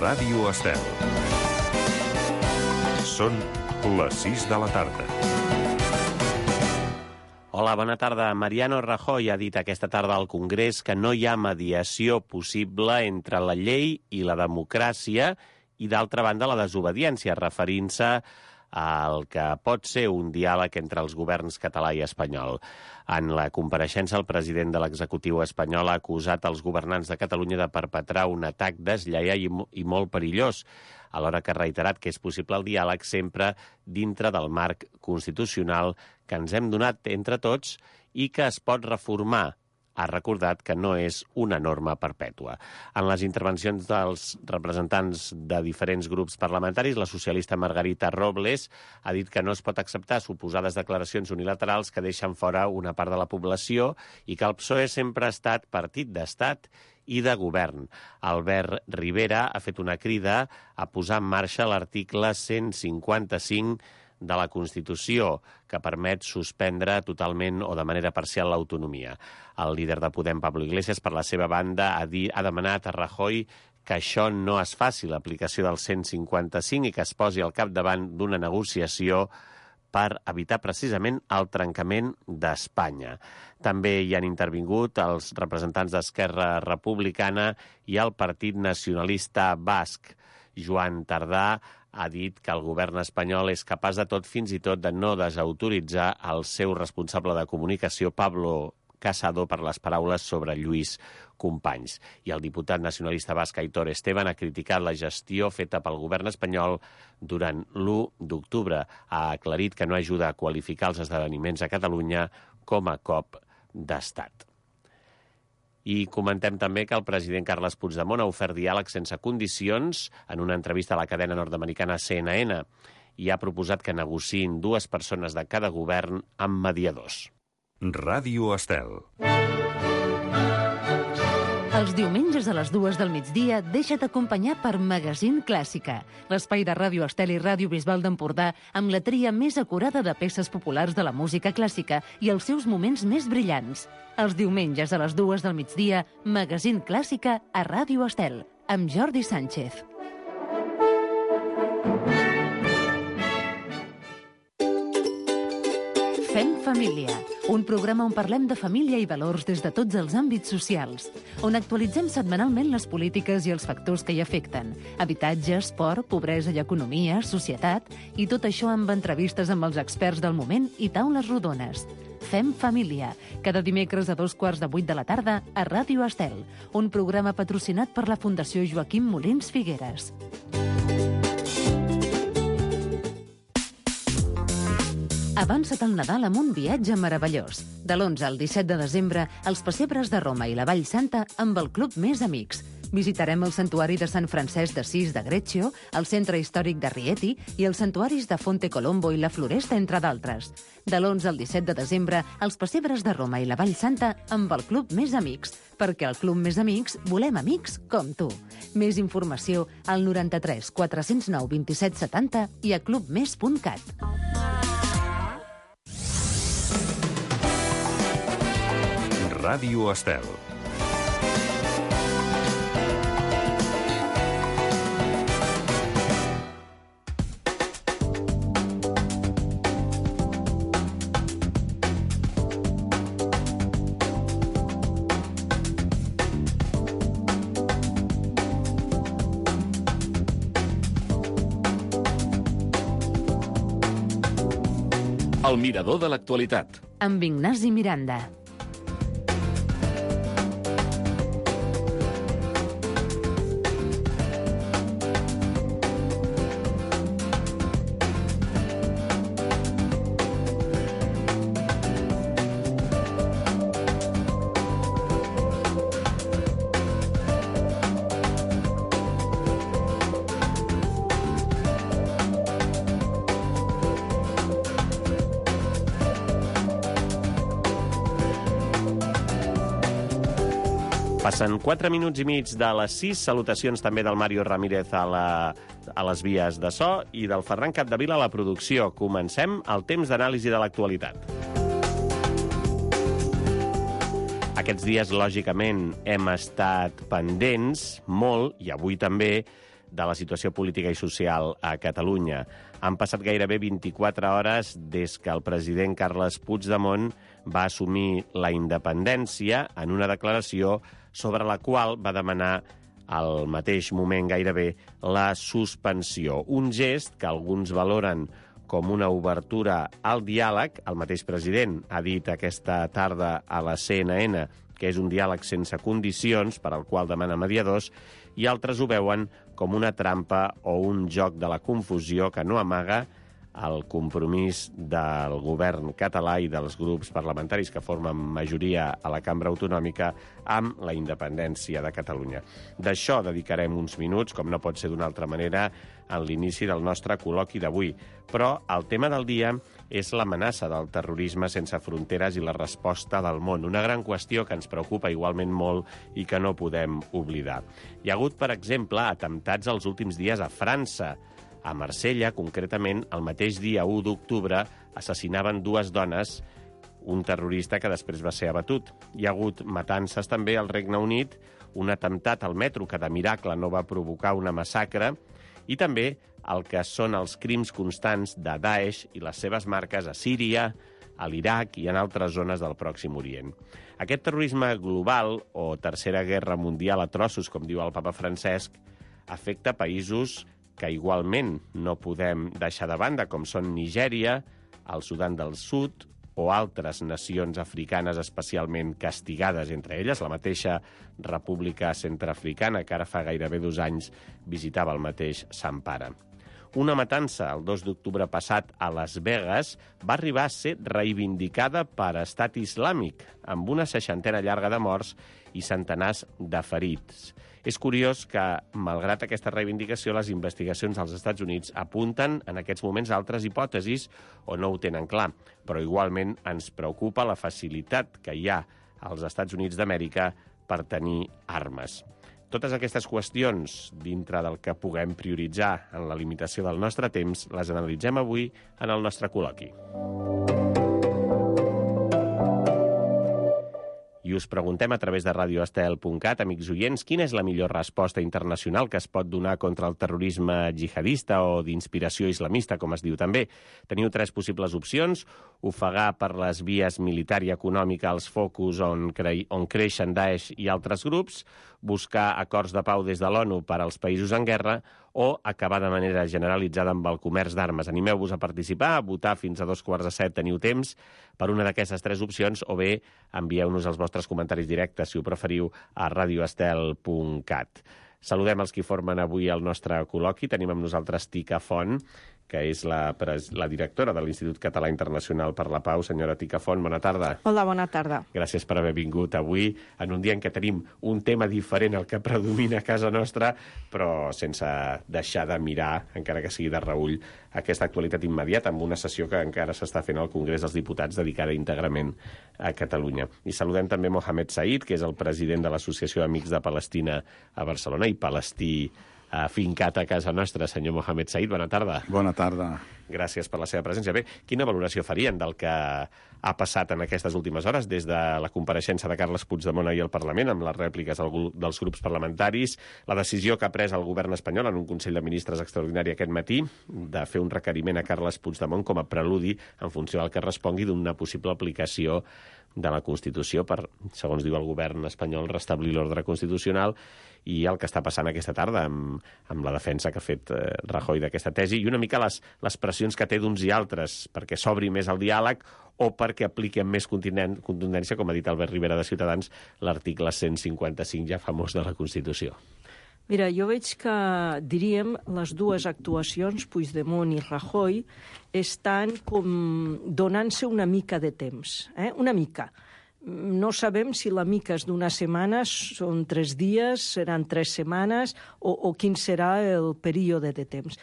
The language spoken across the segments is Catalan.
Ràdio Estel. Són les 6 de la tarda. Hola, bona tarda. Mariano Rajoy ha dit aquesta tarda al Congrés que no hi ha mediació possible entre la llei i la democràcia i, d'altra banda, la desobediència, referint-se al que pot ser un diàleg entre els governs català i espanyol. En la compareixença, el president de l'executiu espanyol ha acusat els governants de Catalunya de perpetrar un atac deslleial i molt perillós, alhora que ha reiterat que és possible el diàleg sempre dintre del marc constitucional que ens hem donat entre tots i que es pot reformar. Ha recordat que no és una norma perpètua. En les intervencions dels representants de diferents grups parlamentaris, la socialista Margarita Robles ha dit que no es pot acceptar suposades declaracions unilaterals que deixen fora una part de la població i que el PSOE sempre ha estat partit d'estat i de govern. Albert Rivera ha fet una crida a posar en marxa l'article 155 de la Constitució, que permet suspendre totalment o de manera parcial l'autonomia. El líder de Podem, Pablo Iglesias, per la seva banda, ha demanat a Rajoy que això no es faci, l'aplicació del 155, i que es posi al capdavant d'una negociació per evitar precisament el trencament d'Espanya. També hi han intervingut els representants d'Esquerra Republicana i el Partit Nacionalista Basc. Joan Tardà ha dit que el govern espanyol és capaç de tot, fins i tot de no desautoritzar el seu responsable de comunicació, Pablo Casado, per les paraules sobre Lluís Companys. I el diputat nacionalista basc Aitor Esteban ha criticat la gestió feta pel govern espanyol durant l'1 d'octubre. Ha aclarit que no ajuda a qualificar els esdeveniments a Catalunya com a cop d'estat. I comentem també que el president Carles Puigdemont ha ofert diàleg sense condicions en una entrevista a la cadena nord-americana CNN i ha proposat que negociïn dues persones de cada govern amb mediadors. Ràdio Estel. Els diumenges a les 2 del migdia deixa't acompanyar per Magazín Clàssica, l'espai de Ràdio Estel i Ràdio Bisbal d'Empordà amb la tria més acurada de peces populars de la música clàssica i els seus moments més brillants. Els diumenges a les 2 del migdia, Magazín Clàssica a Ràdio Estel, amb Jordi Sánchez. Fem família, un programa on parlem de família i valors des de tots els àmbits socials, on actualitzem setmanalment les polítiques i els factors que hi afecten, habitatge, esport, pobresa i economia, societat, i tot això amb entrevistes amb els experts del moment i taules rodones. Fem família, cada dimecres a 7:15 de la tarda a Ràdio Estel, un programa patrocinat per la Fundació Joaquim Molins Figueres. Avança't al Nadal amb un viatge meravellós. De l'11 al 17 de desembre, els pessebres de Roma i la Vall Santa amb el Club Més Amics. Visitarem el Santuari de Sant Francesc d'Assís de Greccio, el Centre Històric de Rieti i els santuaris de Fonte Colombo i la Floresta, entre d'altres. De l'11 al 17 de desembre, els pessebres de Roma i la Vall Santa amb el Club Més Amics, perquè al Club Més Amics volem amics com tu. Més informació al 93 409 27 70 i a clubmes.cat. Ràdio Estel. El mirador de l'actualitat. Amb Ignasi Miranda. Passen 4 minuts i mig de les 6. Salutacions també del Mario Ramírez a les vies de so i del Ferran Capdevila a la producció. Comencem el temps d'anàlisi de l'actualitat. Aquests dies, lògicament, hem estat pendents molt, i avui també, de la situació política i social a Catalunya. Han passat gairebé 24 hores des que el president Carles Puigdemont va assumir la independència en una declaració sobre la qual va demanar al mateix moment gairebé la suspensió. Un gest que alguns valoren com una obertura al diàleg. El mateix president ha dit aquesta tarda a la CNN que és un diàleg sense condicions per al qual demana mediadors, i altres ho veuen com una trampa o un joc de la confusió que no amaga el compromís del govern català i dels grups parlamentaris que formen majoria a la cambra autonòmica amb la independència de Catalunya. D'això dedicarem uns minuts, com no pot ser d'una altra manera, en l'inici del nostre col·loqui d'avui. Però el tema del dia és l'amenaça del terrorisme sense fronteres i la resposta del món, una gran qüestió que ens preocupa igualment molt i que no podem oblidar. Hi ha hagut, per exemple, atemptats els últims dies a França. A Marsella, concretament, el mateix dia 1 d'octubre, assassinaven 2 dones, un terrorista que després va ser abatut. Hi ha hagut matances també al Regne Unit, un atemptat al metro que de miracle no va provocar una massacre, i també el que són els crims constants de Daesh i les seves marques a Síria, a l'Iraq i en altres zones del Pròxim Orient. Aquest terrorisme global, o tercera guerra mundial a trossos, com diu el papa Francesc, afecta països que igualment no podem deixar de banda, com són Nigèria, el Sudan del Sud o altres nacions africanes especialment castigades, entre elles la mateixa República Centreafricana, que ara fa gairebé 2 anys visitava el mateix Sant Pare. Una matança el 2 d'octubre passat a Las Vegas va arribar a ser reivindicada per Estat Islàmic, amb una 60ena llarga de morts i centenars de ferits. És curiós que, malgrat aquesta reivindicació, les investigacions als Estats Units apunten en aquests moments a altres hipòtesis o no ho tenen clar, però igualment ens preocupa la facilitat que hi ha als Estats Units d'Amèrica per tenir armes. Totes aquestes qüestions, dintre del que puguem prioritzar en la limitació del nostre temps, les analitzem avui en el nostre col·loqui. I us preguntem a través de radioestel.cat, amics oients, quina és la millor resposta internacional que es pot donar contra el terrorisme jihadista o d'inspiració islamista, com es diu també. Teniu 3 possibles opcions: ofegar per les vies militar i econòmica els focus on creixen Daesh i altres grups, buscar acords de pau des de l'ONU per als països en guerra o acabar de manera generalitzada amb el comerç d'armes. Animeu-vos a participar, a votar fins a 6:45, teniu temps per una d'aquestes 3 opcions, o bé envieu-nos els vostres comentaris directes, si ho preferiu, a radioestel.cat. Saludem els qui formen avui el nostre col·loqui. Tenim amb nosaltres Tica Font, que és la directora de l'Institut Català Internacional per la Pau. Senyora Tica Font, bona tarda. Hola, bona tarda. Gràcies per haver vingut avui, en un dia en què tenim un tema diferent al que predomina a casa nostra, però sense deixar de mirar, encara que sigui de reüll, aquesta actualitat immediata, amb una sessió que encara s'està fent al Congrés dels Diputats dedicada íntegrament a Catalunya. I saludem també Mohamed Said, que és el president de l'Associació Amics de Palestina a Barcelona i palestí fincat a casa nostra. Senyor Mohamed Said, bona tarda. Bona tarda. Gràcies per la seva presència. Bé, quina valoració farien del que ha passat en aquestes últimes hores, des de la compareixença de Carles Puigdemont ahir al Parlament, amb les rèpliques dels grups parlamentaris, la decisió que ha pres el govern espanyol en un Consell de Ministres extraordinari aquest matí de fer un requeriment a Carles Puigdemont com a preludi en funció del que respongui d'una possible aplicació de la Constitució per, segons diu el govern espanyol, restablir l'ordre constitucional, i el que està passant aquesta tarda amb la defensa que ha fet Rajoy d'aquesta tesi, i una mica les pressions que té d'uns i altres perquè s'obri més el diàleg o perquè apliqui amb més contundència, com ha dit Albert Rivera de Ciutadans, l'article 155 ja famós de la Constitució. Mira, jo veig que, diríem, les 2 actuacions, Puigdemont i Rajoy, estan com donant-se una mica de temps, una mica. No sabem si la mica és d'una setmana, són 3 dies, seran 3 setmanes, o quin serà el període de temps.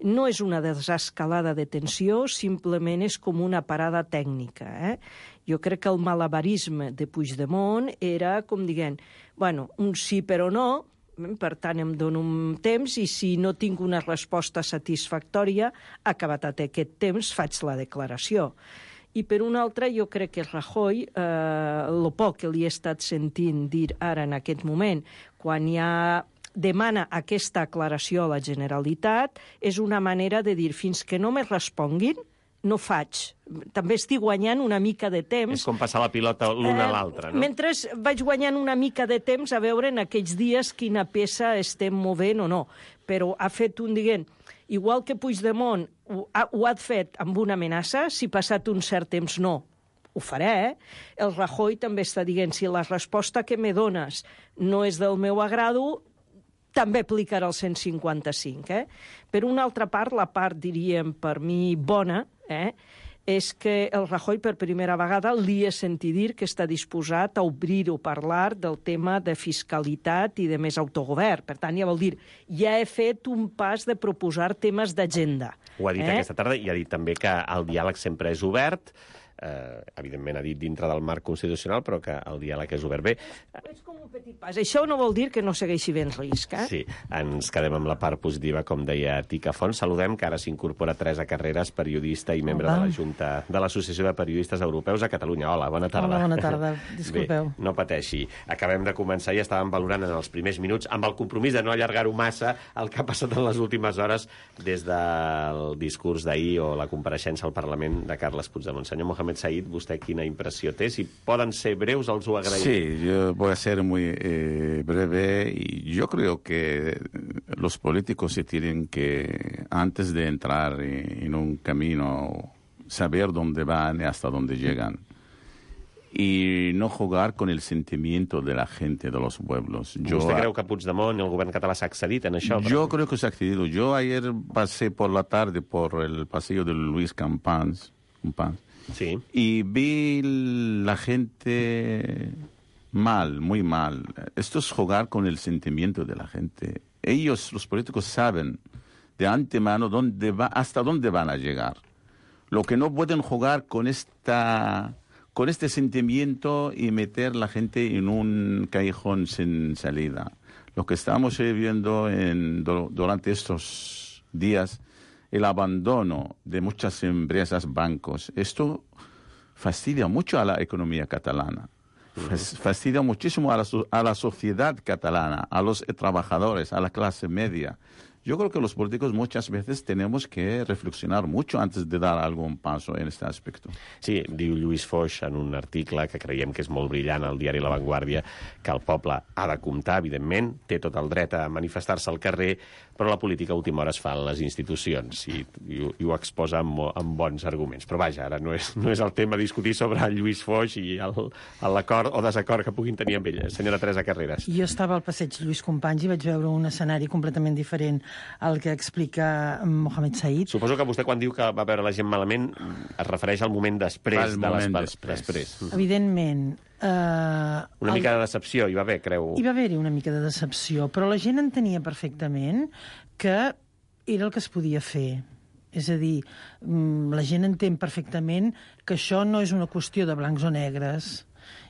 No és una desescalada de tensió, simplement és com una parada tècnica. Jo crec que el malabarisme de Puigdemont era, com dient, bueno, un sí però no, per tant em dono un temps i si no tinc una resposta satisfactòria, acabat aquest temps, faig la declaració. I per una altra, jo crec que Rajoy, el poc que li he estat sentint dir ara en aquest moment, quan hi ha demana aquesta aclaració a la Generalitat, és una manera de dir fins que no me responguin, no faig. També estic guanyant una mica de temps. És com passar la pilota l'una a l'altra, no? Mentre vaig guanyant una mica de temps a veure en aquells dies quina peça estem movent o no. Però ha fet un, diguem, igual que Puigdemont ho ha fet amb una amenaça, si passat un cert temps no, ho faré, el Rajoy també està dient, si la resposta que me dones no és del meu agrado, també aplicarà el 155. Per una altra part, la part, diríem, per mi bona, és que el Rajoy per primera vegada li he sentit dir que està disposat a obrir o parlar del tema de fiscalitat i de més autogovern. Per tant, ja vol dir, ja he fet un pas de proposar temes d'agenda. Ho ha dit aquesta tarda i ha dit també que el diàleg sempre és obert. Evidentment ha dit dintre del marc constitucional, però que el diàleg és obert. Bé, és com un petit pas. Això no vol dir que no segueixi bé el risc. Sí, ens quedem amb la part positiva, com deia Tica Font. Saludem que ara s'incorpora Teresa Carreras, periodista i membre de la Junta de l'Associació de Periodistes Europeus a Catalunya. Hola, bona tarda. Hola, bona tarda. Disculpeu. Bé, no pateixi. Acabem de començar i estàvem valorant en els primers minuts, amb el compromís de no allargar-ho massa, el que ha passat en les últimes hores des del discurs d'ahir o la compareixença al Parlament de Carles Puigdemont. Senyor Mohamed Said, ¿usted quina impresión té? Si poden ser breus, els ho agraïm. Sí, yo voy a ser muy breve y yo creo que los políticos se tienen que, antes de entrar en un camino, saber dónde van y hasta dónde llegan. Y no jugar con el sentimiento de la gente, de los pueblos. ¿Usted creu que Puigdemont i el govern català s'ha accedit en això? Yo creo que se ha accedido. Yo ayer pasé por la tarde por el pasillo de Luis Campans. Sí. Y vi la gente mal, muy mal. Esto es jugar con el sentimiento de la gente. Ellos, los políticos, saben de antemano hasta dónde van a llegar. Lo que no pueden jugar con este sentimiento y meter la gente en un callejón sin salida. Lo que estamos viendo durante estos días, el abandono de muchas empresas, bancos, esto fastidia mucho a la economía catalana, fastidia muchísimo a la sociedad catalana, a los trabajadores, a la clase media. Yo creo que los políticos muchas veces tenemos que reflexionar mucho antes de dar algún paso en este aspecto. Sí, diu Lluís Foix en un article que creiem que és molt brillant al diari La Vanguardia, que el poble ha de comptar, evidentment, té tot el dret a manifestar-se al carrer, però la política a última hora es fa en les institucions i ho exposa amb bons arguments. Però vaja, ara no és el tema discutir sobre el Lluís Foix i l'acord o desacord que puguin tenir amb ell. Senyora Teresa Carreras. Jo estava al passeig Lluís Companys i vaig veure un escenari completament diferent al que explica Mohamed Said. Suposo que vostè, quan diu que va veure la gent malament, es refereix al moment després. Després. Evidentment. Una mica de decepció hi va haver, creu? Hi va haver-hi una mica de decepció, però la gent entenia perfectament que era el que es podia fer. És a dir, la gent entén perfectament que això no és una qüestió de blancs o negres.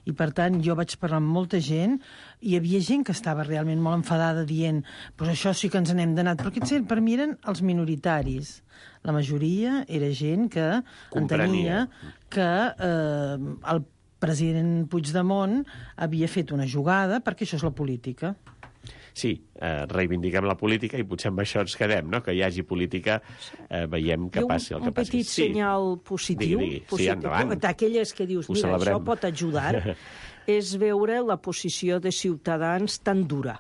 I, per tant, jo vaig parlar amb molta gent i hi havia gent que estava realment molt enfadada dient pues això sí que ens n'hem d'anar. Però aquests per mi eren els minoritaris. La majoria era gent que entenia que el president Puigdemont havia fet una jugada, perquè això és la política. Sí, reivindiquem la política i potser amb això ens quedem, no? Que hi hagi política, veiem que passi el que passi. Un petit senyal positiu, sí, endavant. D'aquelles que dius, mira, això pot ajudar, és veure la posició de Ciutadans tan dura.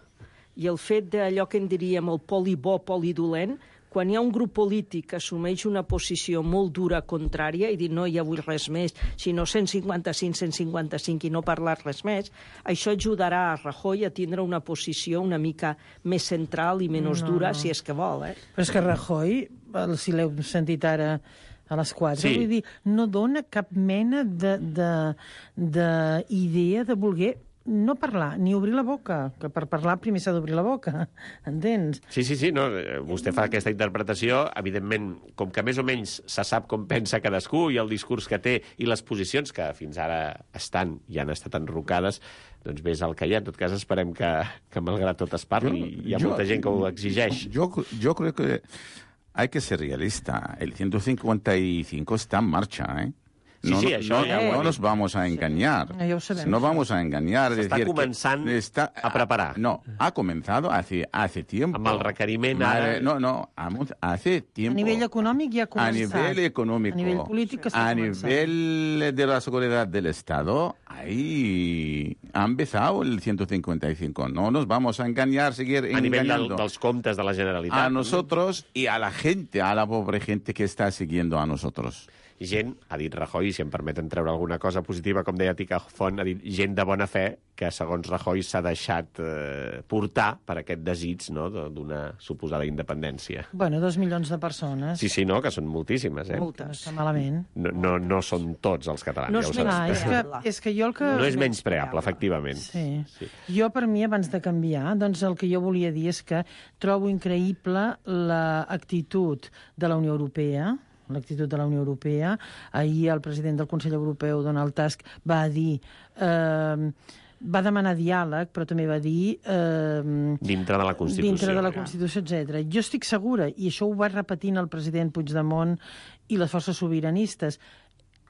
I el fet d'allò que en diríem el poli bo, poli dolent, quan hi ha un grup polític que assumeix una posició molt dura contrària i dir no hi vull res més, sinó 155 i no parlar res més, això ajudarà a Rajoy a tindre una posició una mica més central i menys dura, si és que vol. Però és que Rajoy, si l'heu sentit ara a les 4, vull dir, no dona cap mena d'idea de voler no parlar, ni obrir la boca, que per parlar primer s'ha d'obrir la boca, entens? Sí, no, vostè fa aquesta interpretació, evidentment, com que més o menys se sap com pensa cadascú i el discurs que té i les posicions que fins ara estan i han estat enrocades, doncs bé, és el que hi ha. En tot cas, esperem que malgrat tot es parli. Hi ha molta gent que ho exigeix. Yo creo que hay que ser realista. El 155 está en marcha, ¿eh? Sí, sí, això ja ho no he nos vamos a engañar. Ja ho sabem. No vamos a engañar. S'està començant a preparar. No, ha comenzado hace tiempo. Amb el requeriment ara... Hace tiempo. A nivell econòmic ja ha començat. A nivel económico. A nivell polític està a començant. nivel de la seguridad del Estado, ahí ha empezado el 155. No nos vamos a engañar, seguir A nivell engañando. dels comptes de la Generalitat. A nosotros y a la gente, a la pobre gente que está siguiendo a nosotros. I gent, ha dit Rajoy, si em permeten treure alguna cosa positiva, com deia Tica Font, ha dit gent de bona fe que, segons Rajoy, s'ha deixat portar per aquest desig, no?, d'una suposada independència. Bueno, 2 milions de persones. Sí, sí, no?, que són moltíssimes, No està malament. No són tots els catalans. No ja ho és sabem. És que jo el que... No és menyspreable, efectivament. Sí. Jo, per mi, abans de canviar, doncs el que jo volia dir és que trobo increïble l'actitud de la Unió Europea, Ahir el president del Consell Europeu, Donald Tusk, va dir... va demanar diàleg, però també va dir... dintre de la Constitució. Dintre de la Constitució, etc. Jo estic segura, i això ho va repetint el president Puigdemont i les forces sobiranistes,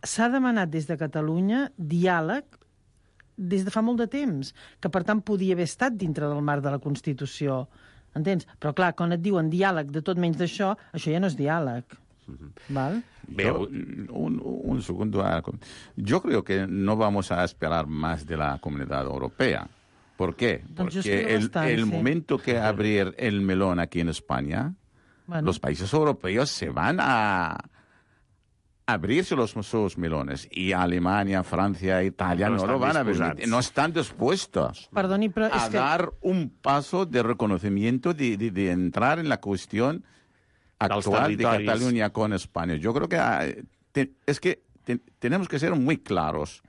s'ha demanat des de Catalunya diàleg des de fa molt de temps, que per tant podia haver estat dintre del marc de la Constitució. Entens? Però clar, quan et diuen diàleg de tot menys d'això, això ja no és diàleg. ¿Vale? Un segundo. Yo creo que no vamos a esperar más de la Comunidad Europea. ¿Por qué? Porque el momento que abrir el melón aquí en España, los países europeos se van a abrirse sus melones. Y Alemania, Francia, Italia no lo van a abrir. No están dispuestos a dar un paso de reconocimiento, de entrar en la cuestión actual de Cataluña con España. Yo creo que tenemos que ser muy claros.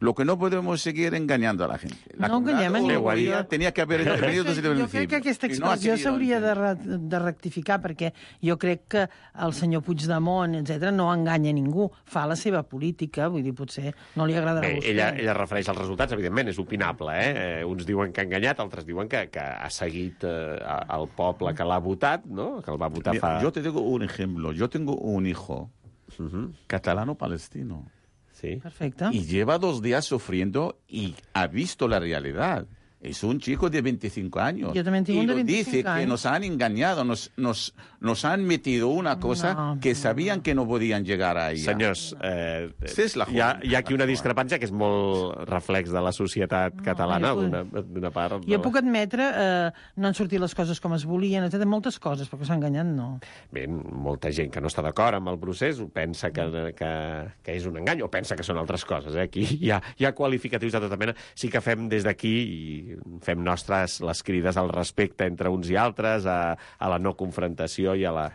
Lo que no podemos seguir engañando a la gente. La enganyem a ningú. Tenía que haber venido desde el principio. Jo crec que aquesta expressió s'hauria de rectificar, perquè jo crec que el senyor Puigdemont, etc., no enganya ningú. Fa la seva política, vull dir, potser no li agradarà a vostè. Ella refereix als resultats, evidentment, és opinable, Uns diuen que ha enganyat, altres diuen que ha seguit el poble que l'ha votat, no?, que el va votar fa... Yo te digo un ejemplo. Yo tengo un hijo catalano-palestino. Sí. Perfecte. Y lleva 2 días sufriendo y ha visto la realidad. Es un chico de 25 años. Yo también tengo un de 25 dice años. que nos han engañado, nos han metido una cosa que sabían que no podían llegar a ella. Senyors, hi ha aquí una discrepància que és molt reflex de la societat catalana, d'una part. Jo puc admetre, no han sortit les coses com es volien, etc. Moltes coses, perquè s'ha enganyat, no. Bé, molta gent que no està d'acord amb el procés pensa que és un engany, o pensa que són altres coses. Aquí hi ha qualificatius de tota mena. Sí que fem des d'aquí i fem nostres les crides al respecte entre uns i altres, a la no confrontació i a la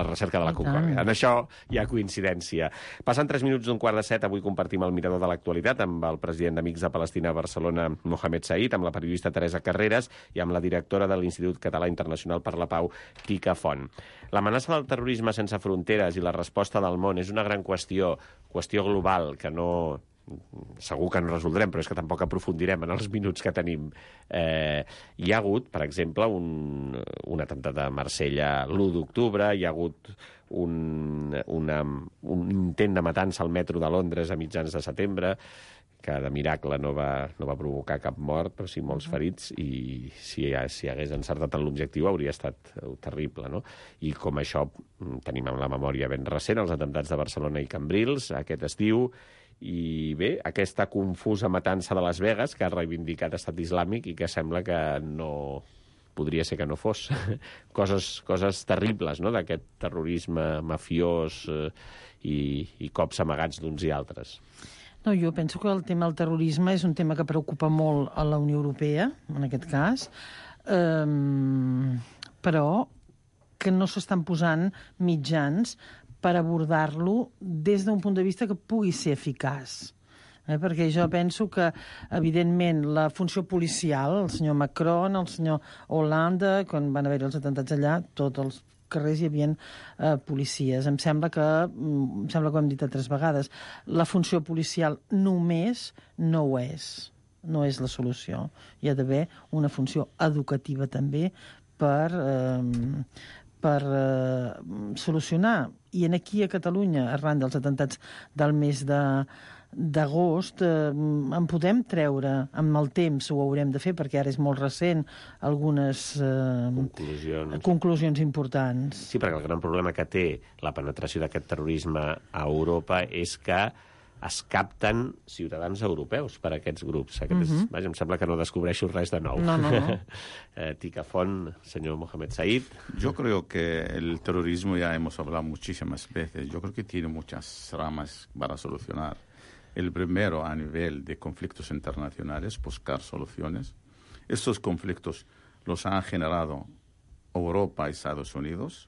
recerca de la concòrdia. En això hi ha coincidència. Passant 3 minuts d'un 6:45, avui compartim el mirador de l'actualitat amb el president d'Amics de Palestina a Barcelona, Mohamed Said, amb la periodista Teresa Carreras i amb la directora de l'Institut Català Internacional per la Pau, Tica Font. L'amenaça del terrorisme sense fronteres i la resposta del món és una gran qüestió global que segur que no resoldrem, però és que tampoc aprofundirem en els minuts que tenim. Hi ha hagut, per exemple, un atemptat a Marsella l'1 d'octubre, hi ha hagut un intent de matança al metro de Londres a mitjans de setembre, que de miracle no va provocar cap mort, però sí molts ferits, i si hagués encertat en l'objectiu hauria estat terrible, no? I com això tenim en la memòria ben recent els atemptats de Barcelona i Cambrils aquest estiu, i bé, aquesta confusa matança de Las Vegas que ha reivindicat Estat Islàmic i que sembla que no... podria ser que no fos. Coses terribles, no?, d'aquest terrorisme mafiós i cops amagats d'uns i altres. No, jo penso que el tema del terrorisme és un tema que preocupa molt a la Unió Europea, en aquest cas, però que no s'estan posant mitjans per abordar-lo des d'un punt de vista que pugui ser eficaç. Perquè jo penso que, evidentment, la funció policial, el senyor Macron, el senyor Hollande, quan van haver els atemptats allà, tots els carrers hi havia policies. Em sembla que ho hem dit 3 vegades. La funció policial només no ho és. No és la solució. Hi ha d'haver una funció educativa també per solucionar I aquí a Catalunya, arran dels atemptats del mes d'agost, en podem treure amb el temps, ho haurem de fer perquè ara és molt recent, algunes conclusions importants. Sí, perquè el gran problema que té la penetració d'aquest terrorisme a Europa és que es capten ciutadans europeus per a aquests grups. Vaja, em sembla que no descobreixo res de nou. No. Ticafont, señor Mohamed Said. Yo creo que el terrorismo, ya hemos hablado muchísimas veces, yo creo que tiene muchas ramas para solucionar. El primero, a nivel de conflictos internacionales, buscar soluciones. Estos conflictos los han generado Europa y Estados Unidos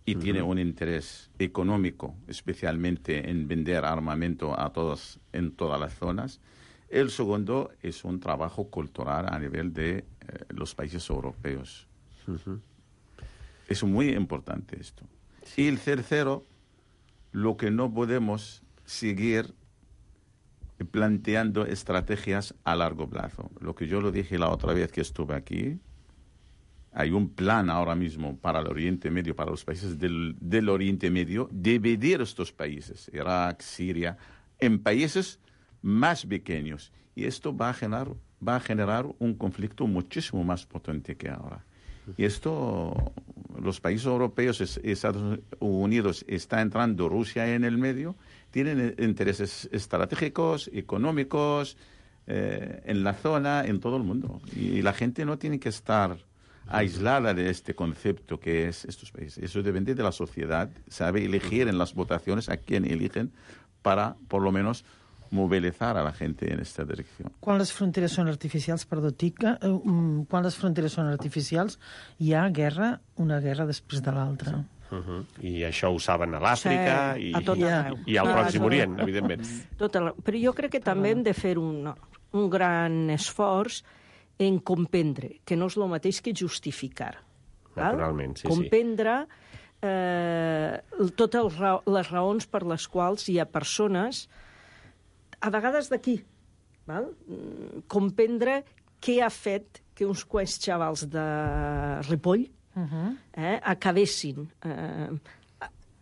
y tiene un interés económico, especialmente en vender armamento a todos en todas las zonas. El segundo es un trabajo cultural a nivel de los países europeos. Es muy importante esto. Y el tercero, lo que no podemos seguir planteando estrategias a largo plazo. Lo que yo lo dije la otra vez que estuve aquí, hay un plan ahora mismo para el Oriente Medio, para los países del Oriente Medio, dividir estos países, Irak, Siria, en países más pequeños. Y esto va a generar un conflicto muchísimo más potente que ahora. Y esto, los países europeos, Estados Unidos, está entrando Rusia en el medio, tienen intereses estratégicos, económicos, en la zona, en todo el mundo. Y la gente no tiene que estar aislada de este concepto que es estos países. Eso depende de la sociedad, sabe elegir en las votaciones a quién eligen para, por lo menos, mobilitzar a la gente en esta direcció. Quan les fronteres són artificials, perdó, Tica, quan les fronteres són artificials, hi ha guerra, una guerra després de l'altra. I això ho saben a l'Àfrica i al Pròxim Orient, evidentment. Però jo crec que també hem de fer un gran esforç en comprendre, que no és el mateix que justificar. Naturalment, sí. Comprendre totes les raons per les quals hi ha persones, a vegades d'aquí, comprendre què ha fet que uns quants xavals de Ripoll acabessin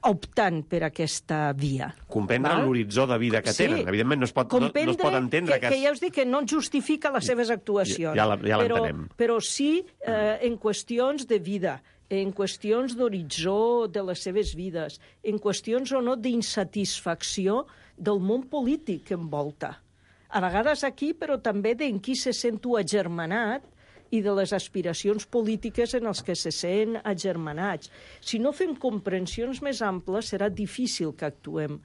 optant per aquesta via. Comprendre l'horitzó de vida que tenen. Evidentment no es pot entendre que ja us dic que no justifica les seves actuacions. Ja l'entenem. Però sí en qüestions de vida, en qüestions d'horitzó de les seves vides, en qüestions o no d'insatisfacció del món polític que envolta. A vegades aquí, però també d'en qui se sent agermanat i de les aspiracions polítiques en els que se sent agermanats. Si no fem comprensions més amples, serà difícil que actuem,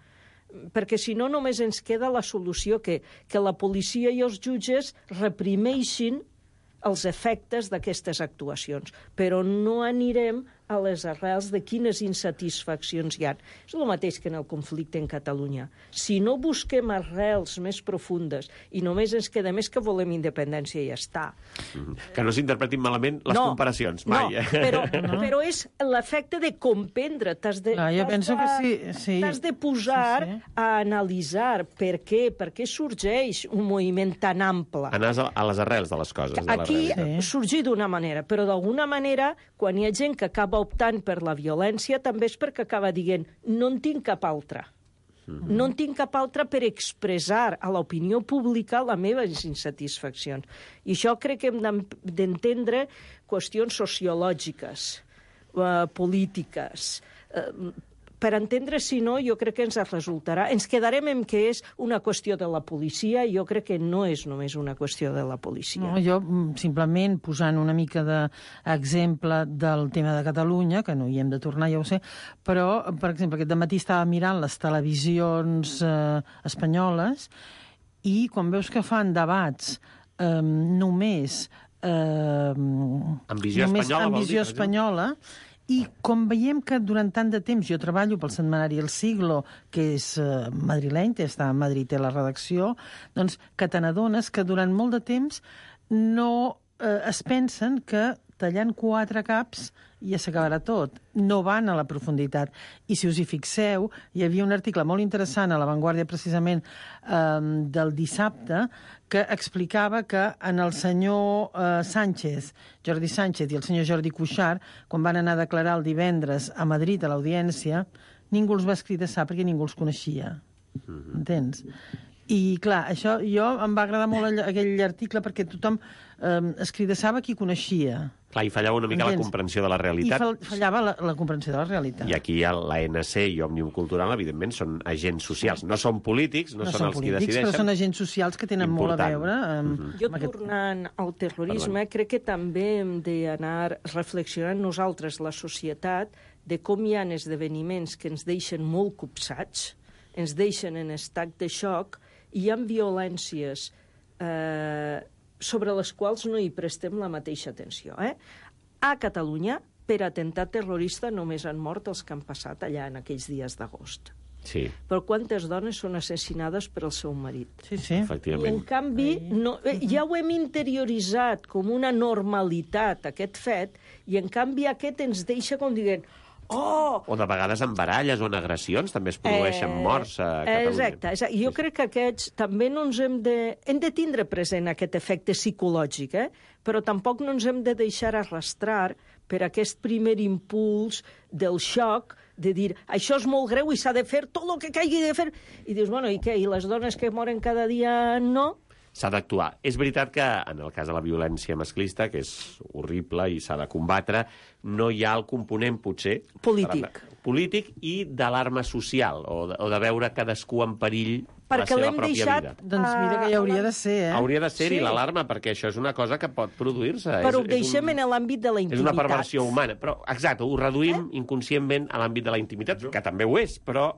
perquè si no només ens queda la solució que la policia i els jutges reprimeixin els efectes d'aquestes actuacions, però no anirem a les arrels de quines insatisfaccions hi ha. És el mateix que en el conflicte en Catalunya. Si no busquem arrels més profundes i només ens queda més que volem independència i ja està. Que no s'interpretin malament les comparacions, mai. No, però és l'efecte de comprendre. T'has de posar a analitzar per què sorgeix un moviment tan ample. Anar a les arrels de les coses. Aquí sorgir d'una manera, però d'alguna manera, quan hi ha gent que acaba optant per la violència, també és perquè acaba dient no en tinc cap altra. No en tinc cap altra per expressar a l'opinió pública les meves insatisfaccions. I això crec que hem d'entendre qüestions sociològiques, polítiques. Per entendre, si no, jo crec que ens resultarà... Ens quedarem en que és una qüestió de la policia, i jo crec que no és només una qüestió de la policia. No, jo, simplement, posant una mica d'exemple del tema de Catalunya, que no hi hem de tornar, ja ho sé, però, per exemple, aquest dematí estava mirant les televisions espanyoles i quan veus que fan debats només amb visió espanyola, i com veiem que durant tant de temps jo treballo pel setmanari El Siglo, que és madrileny, està a Madrid, té la redacció, doncs que te n'adones que durant molt de temps no es pensen que tallant 4 caps ja s'acabarà tot. No van a la profunditat. I si us hi fixeu, hi havia un article molt interessant a La Vanguardia, precisament, del dissabte, que explicava que en el senyor Jordi Sánchez i el senyor Jordi Cuixart, quan van anar a declarar el divendres a Madrid a l'audiència, ningú els va escridassar perquè ningú els coneixia. Entens? I, clar, això em va agradar molt aquell article perquè tothom escridassava qui coneixia. Clar, i fallava una mica la comprensió de la realitat. I fallava la comprensió de la realitat. I aquí l'ANC i Òmnium Cultural, evidentment, són agents socials. No són polítics, no són els qui decideixen. Però són agents socials que tenen molt a veure Jo, tornant al terrorisme, crec que també hem d'anar reflexionant nosaltres, la societat, de com hi ha esdeveniments que ens deixen molt copsats, ens deixen en estat de xoc, i hi ha violències sobre les quals no hi prestem la mateixa atenció. A Catalunya, per atemptat terrorista, només han mort els que han passat allà en aquells dies d'agost. Sí. Però quantes dones són assassinades per el seu marit? Sí. Efectivament. I, en canvi, ja ho hem interioritzat com una normalitat, aquest fet, i, en canvi, aquest ens deixa com dient... O de vegades en baralles o en agressions també es produeixen morts a Catalunya. Exacte. Jo crec que aquests també no ens hem de tindre present aquest efecte psicològic, però tampoc no ens hem de deixar arrastrar per aquest primer impuls del xoc de dir això és molt greu i s'ha de fer tot el que caigui de fer. I dius, bueno, i què? I les dones que moren cada dia no? S'ha d'actuar. És veritat que, en el cas de la violència masclista, que és horrible i s'ha de combatre, no hi ha el component, potser... Polític i d'alarma social, o de veure cadascú en perill la seva pròpia vida. Doncs mira que hi hauria de ser, Hauria de ser-hi l'alarma, perquè això és una cosa que pot produir-se. Però ho deixem en l'àmbit de la intimitat. És una perversió humana. Però, exacte, ho reduïm inconscientment a l'àmbit de la intimitat, que també ho és, però...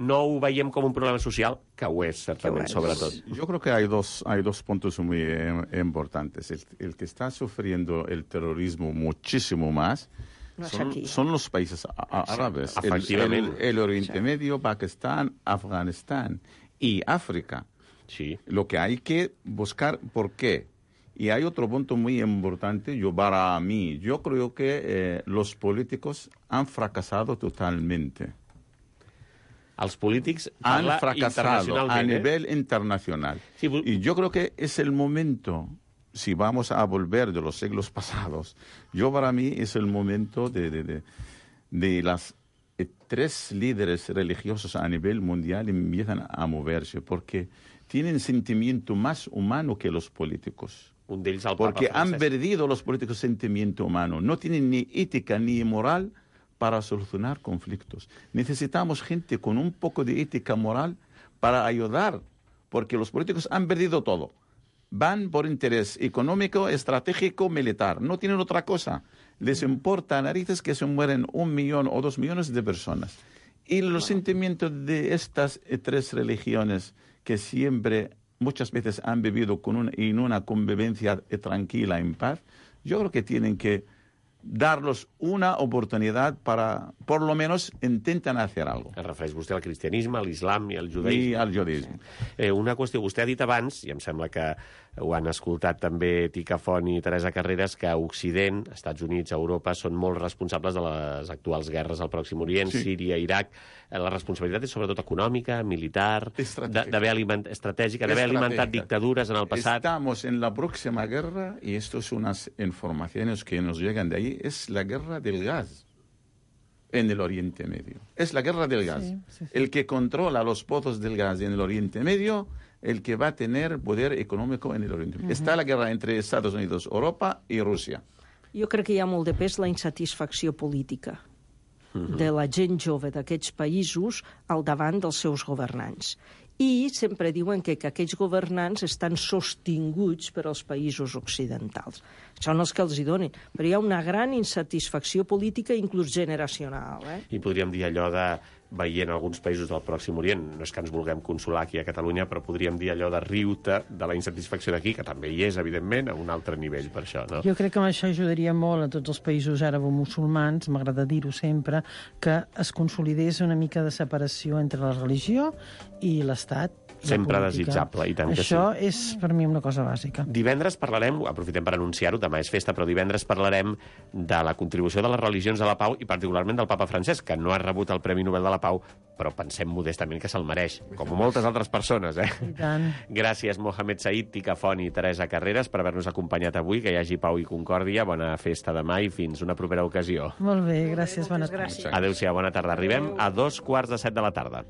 no ho veiem com un problema social, que ho és, certament, sobretot. Yo creo que hay dos puntos muy importantes. El que está sufriendo el terrorismo muchísimo más son los países árabes. El Oriente Medio, Pakistán, Afganistán y África. Sí. Lo que hay que buscar, ¿por qué? Y hay otro punto muy importante, para mí. Yo creo que los políticos han fracasado totalmente. Els polítics han fracasado a nivel internacional. Sí, y yo creo que es el momento, si vamos a volver de los siglos pasados, para mí es el momento de las 3 líderes religiosos a nivel mundial empiezan a moverse, porque tienen sentimiento más humano que los políticos. Un d'ells, el Papa Porque Francesc. han perdido los políticos sentimiento humano. No tienen ni ética ni moral para solucionar conflictos. Necesitamos gente con un poco de ética moral para ayudar, porque los políticos han perdido todo. Van por interés económico, estratégico, militar. No tienen otra cosa. Les importa a narices que se mueren 1 millón o 2 millones de personas. Y los sentimientos de estas 3 religiones que siempre, muchas veces han vivido en una convivencia tranquila, en paz, yo creo que tienen que darlos una oportunidad para, por lo menos, intentan hacer algo. Es refereix vostè al cristianisme, a l'islam i al judaïsme. I al judaïsme. Una qüestió, vostè ha dit abans, i em sembla que ho han escoltat també Tica Font i Teresa Carreras, que Occident, Estats Units, Europa, són molt responsables de les actuals guerres al Pròxim Orient, Síria, Iraq. La responsabilitat és sobretot econòmica, militar, estratègica, d'haver alimentat dictadures en el passat. Estamos en la próxima guerra, y esto son unas informaciones que nos llegan de ahí, es la guerra del gas en el Oriente Medio. Es la guerra del gas. Sí. El que controla los pozos del gas en el Oriente Medio, el que va a tener poder económico en el Oriente Medio. Está la guerra entre Estados Unidos, Europa y Rússia. Jo crec que hi ha molt de pes la insatisfacció política de la gent jove d'aquests països al davant dels seus governants. I sempre diuen que aquells governants estan sostinguts per als països occidentals. Són els que els hi donen. Però hi ha una gran insatisfacció política, inclús generacional. I podríem dir allò de, veient alguns països del Pròxim Orient, no és que ens vulguem consolar aquí a Catalunya, però podríem dir allò de riure de la insatisfacció d'aquí, que també hi és, evidentment, a un altre nivell per això, no? Jo crec que això ajudaria molt a tots els països àrabo-musulmans, m'agrada dir-ho sempre, que es consolidés una mica de separació entre la religió i l'Estat, Sempre política. desitjable, i tant que Això és, per mi, una cosa bàsica. Divendres parlarem, aprofitem per anunciar-ho, demà és festa, però divendres parlarem de la contribució de les religions a la pau i particularment del papa Francesc, que no ha rebut el Premi Nobel de la Pau, però pensem modestament que se'l mereix, com moltes altres persones, I tant. Gràcies, Mohamed Said, Tica Font i Teresa Carreras, per haver-nos acompanyat avui, que hi hagi pau i concòrdia, bona festa demà i fins una propera ocasió. Molt bé, gràcies, bona tarda. Gràcies. Adéu-siau, bona tarda. Arribem a 2:15 de la tarda.